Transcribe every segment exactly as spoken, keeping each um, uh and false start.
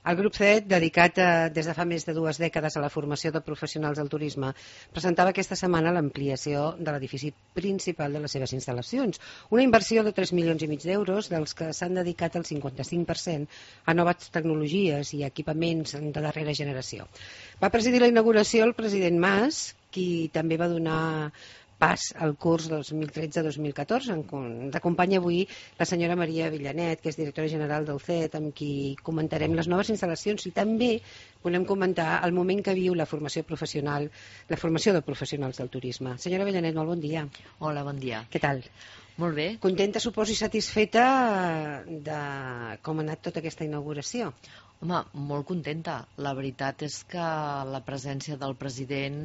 El grup C E T, dedicat a, des de fa més de dues dècades a la formació de professionals del turisme, presentava aquesta setmana l'ampliació de l'edifici principal de les seves instal·lacions. Una inversió de tres milions i mig d'euros, dels que s'han dedicat el cinquanta-cinc per cent a noves tecnologies i equipaments de darrera generació. Va presidir la inauguració el president Mas, qui també va donar pas al curs dos mil tretze dos mil catorze. Ens acompanya avui la senyora Maria Villanet, que és directora general del C E T, amb qui comentarem les noves instal·lacions i també volem comentar el moment que viu la formació professional, la formació de professionals del turisme. Senyora Villanet, molt bon dia. Hola, bon dia. Què tal? Molt bé. Contenta, suposo, i satisfeta de com ha anat tota aquesta inauguració? Home, molt contenta. La veritat és que la presència del president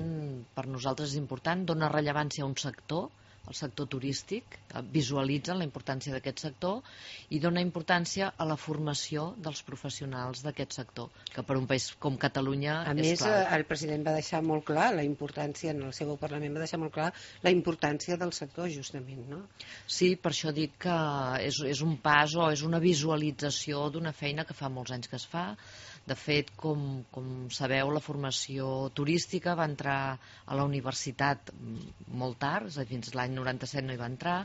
per nosaltres és important, dona rellevància a un sector, el sector turístic, visualitzen la importància d'aquest sector i dona importància a la formació dels professionals d'aquest sector, que per un país com Catalunya a és més, clau. El president va deixar molt clar la importància, en el seu Parlament va deixar molt clar la importància del sector, justament, no? Sí, per això dic que és, és un pas o és una visualització d'una feina que fa molts anys que es fa. De fet, com, com sabeu, la formació turística va entrar a la universitat molt tard, és a dir, fins l'any noranta-set no hi va entrar,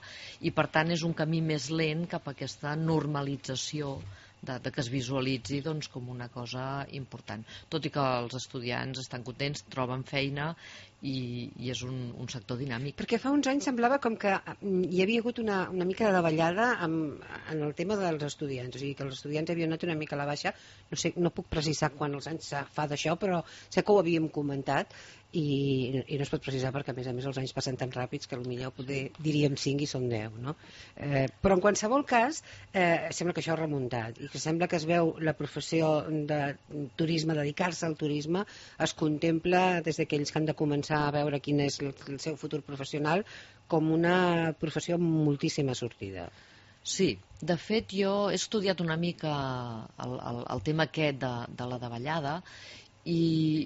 i per tant és un camí més lent cap a aquesta normalització de, de que es visualitzi doncs, com una cosa important. Tot i que els estudiants estan contents, troben feina i, i és un, un sector dinàmic. Perquè fa uns anys semblava com que hi havia hagut una, una mica de davallada amb, en el tema dels estudiants, o sigui que els estudiants havien anat una mica a la baixa, no sé, no puc precisar quan els anys fa d'això, però sé que ho havíem comentat i, i no es pot precisar perquè a més a més els anys passen tan ràpids que potser poder, diríem cinc i són deu, no? Eh, però en qualsevol cas eh, sembla que això ha remuntat i que sembla que es veu la professió de turisme, dedicar-se al turisme es contempla des d'aquells que han de començar a veure quin és el, el seu futur professional com una professió amb moltíssima sortida. Sí, de fet jo he estudiat una mica el, el, el tema aquest de, de la davallada i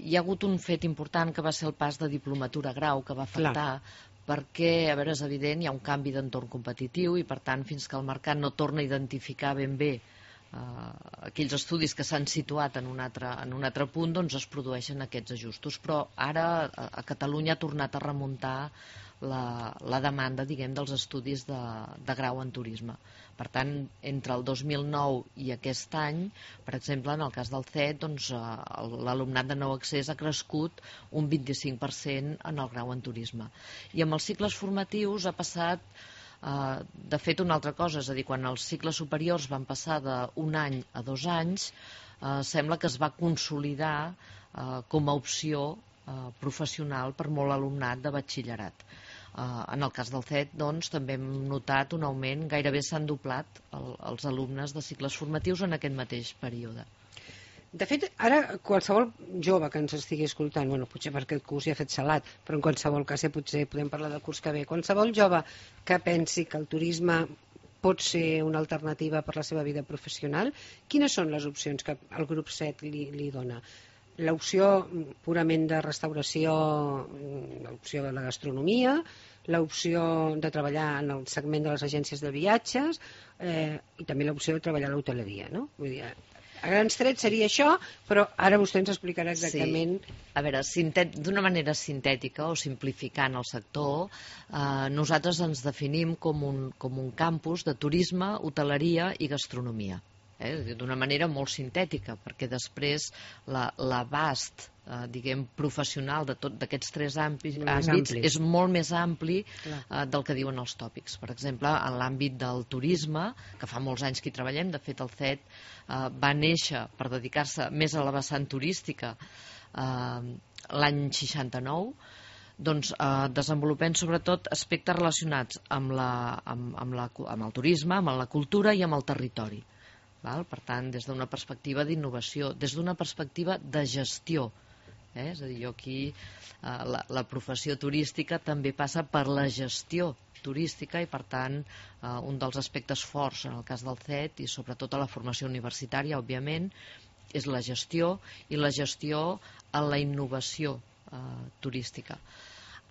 hi ha hagut un fet important que va ser el pas de diplomatura a grau que va afectar. Clar. Perquè, a veure, és evident, hi ha un canvi d'entorn competitiu i per tant fins que el mercat no torna a identificar ben bé Uh, aquells estudis que s'han situat en un altre, en un altre punt, doncs es produeixen aquests ajustos, però ara a, a Catalunya ha tornat a remuntar la, la demanda, diguem, dels estudis de, de grau en turisme. Per tant, entre el dos mil nou i aquest any, per exemple, en el cas del C E T, doncs, uh, l'alumnat de nou accés ha crescut un vint-i-cinc per cent en el grau en turisme. I amb els cicles formatius ha passat Uh, de fet una altra cosa, és a dir, quan els cicles superiors van passar d'un any a dos anys, uh, sembla que es va consolidar uh, com a opció uh, professional per molt alumnat de batxillerat. Uh, en el cas del C E T, doncs, també hem notat un augment, gairebé s'han doblat el, els alumnes de cicles formatius en aquest mateix període. De fet, ara qualsevol jove que ens estigui escoltant, bueno, potser perquè el curs ja ha fet salat, però en qualsevol cas ja potser podem parlar del curs que ve, qualsevol jove que pensi que el turisme pot ser una alternativa per la seva vida professional, quines són les opcions que el grup C E T li, li dona? L'opció purament de restauració, l'opció de la gastronomia, l'opció de treballar en el segment de les agències de viatges eh, i també l'opció de treballar a l'hoteleria, no? Vull dir, a grans trets seria això, però ara vostè ens explicarà exactament... Sí. A veure, d'una manera sintètica o simplificant el sector, eh, nosaltres ens definim com un, com un campus de turisme, hoteleria i gastronomia. Eh, d'una manera molt sintètica, perquè després l'abast eh, diguem professional d'aquests tres àmbits, àmbits és molt més ampli eh, del que diuen els tòpics. Per exemple, en l'àmbit del turisme, que fa molts anys que hi treballem, de fet el C E T eh, va néixer per dedicar-se més a la vessant turística eh, l'any seixanta-nou, doncs eh, desenvolupem sobretot aspectes relacionats amb, la, amb, amb, la, amb el turisme, amb la cultura i amb el territori. Val? Per tant, des d'una perspectiva d'innovació, des d'una perspectiva de gestió. Eh? És a dir, jo aquí eh, la, la professió turística també passa per la gestió turística i per tant eh, un dels aspectes forts en el cas del C E T i sobretot a la formació universitària, òbviament, és la gestió i la gestió en la innovació eh, turística.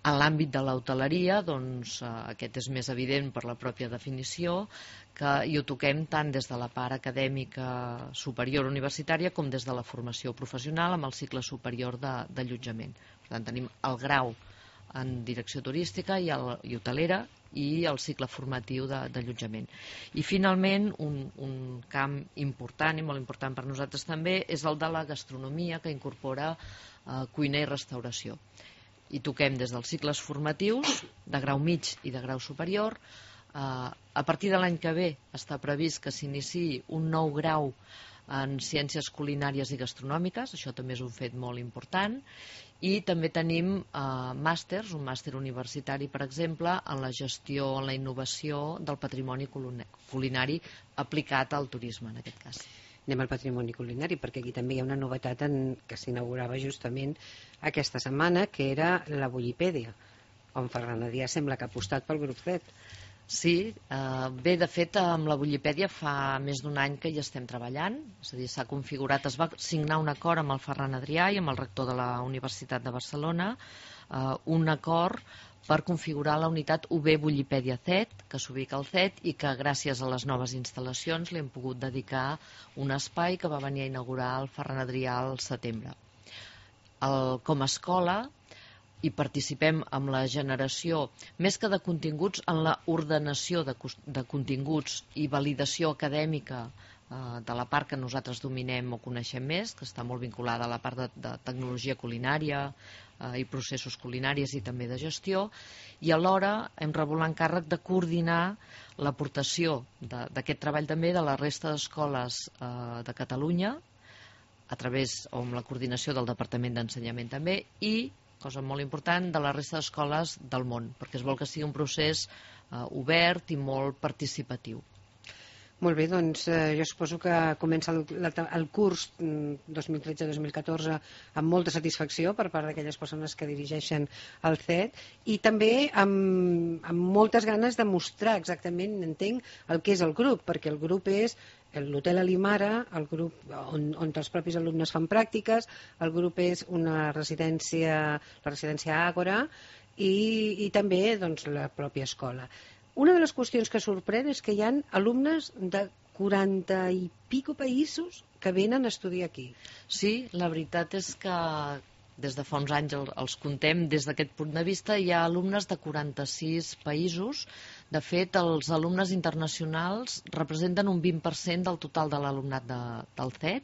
En l'àmbit de l'hoteleria, doncs, eh, aquest és més evident per la pròpia definició, que hi ho toquem tant des de la part acadèmica superior universitària com des de la formació professional amb el cicle superior d'allotjament. Per tant, tenim el grau en direcció turística i, el, i hotelera i el cicle formatiu d'allotjament. I finalment, un, un camp important i molt important per nosaltres també és el de la gastronomia, que incorpora eh, cuina i restauració. I toquem des dels cicles formatius de grau mig i de grau superior. Eh, a partir de l'any que ve està previst que s'iniciï un nou grau en ciències culinàries i gastronòmiques, això també és un fet molt important, i també tenim eh, màsters, un màster universitari, per exemple, en la gestió, en la innovació del patrimoni culinari aplicat al turisme, en aquest cas. Anem al patrimoni culinari, perquè aquí també hi ha una novetat en, que s'inaugurava justament aquesta setmana, que era la Bullipèdia, on Ferran Adrià sembla que ha apostat pel grup Z. Sí, eh, bé, de fet, amb la Bullipèdia fa més d'un any que hi estem treballant, és a dir, s'ha configurat, es va signar un acord amb el Ferran Adrià i amb el rector de la Universitat de Barcelona, eh, un acord per configurar la unitat U B Bullipèdia Z, que s'ubica al Z i que gràcies a les noves instal·lacions li hem pogut dedicar un espai que va venir a inaugurar el Ferran Adrià al setembre. El, com a escola hi participem amb la generació, més que de continguts, en la ordenació de, de continguts i validació acadèmica eh, de la part que nosaltres dominem o coneixem més, que està molt vinculada a la part de, de tecnologia culinària eh, i processos culinaris i també de gestió, i alhora hem rebut l'encàrrec de coordinar l'aportació d'aquest treball també de la resta d'escoles eh, de Catalunya, a través o amb la coordinació del Departament d'Ensenyament també, i cosa molt important, de la resta d'escoles del món, perquè es vol que sigui un procés eh, obert i molt participatiu. Molt bé, doncs eh, jo suposo que comença el, el curs dos mil tretze dos mil catorze amb molta satisfacció per part d'aquelles persones que dirigeixen el Z i també amb, amb moltes ganes de mostrar exactament, entenc, el que és el grup, perquè el grup és l'Hotel Alimara, el grup on, on els propis alumnes fan pràctiques, el grup és una residència, la residència Àgora i, i també doncs, la pròpia escola. Una de les qüestions que sorprèn és que hi ha alumnes de quaranta i pico països que venen a estudiar aquí. Sí, la veritat és que des de fa uns anys els contem des d'aquest punt de vista. Hi ha alumnes de quaranta-sis països. De fet, els alumnes internacionals representen un vint per cent del total de l'alumnat de, del Z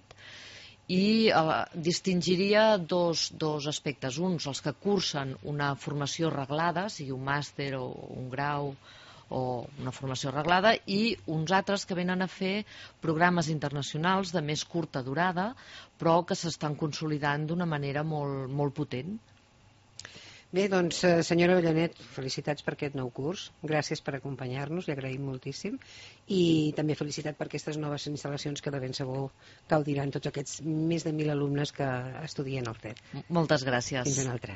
i eh, distingiria dos, dos aspectes. Uns, els que cursen una formació reglada, sigui un màster o un grau o una formació reglada, i uns altres que venen a fer programes internacionals de més curta durada, però que s'estan consolidant d'una manera molt, molt potent. Bé, doncs, senyora Avellanet, felicitats per aquest nou curs. Gràcies per acompanyar-nos, li agraïm moltíssim. I també felicitat per aquestes noves instal·lacions que de ben segur gaudiran tots aquests més de mil alumnes que estudien al Z. Moltes gràcies. Fins una altra.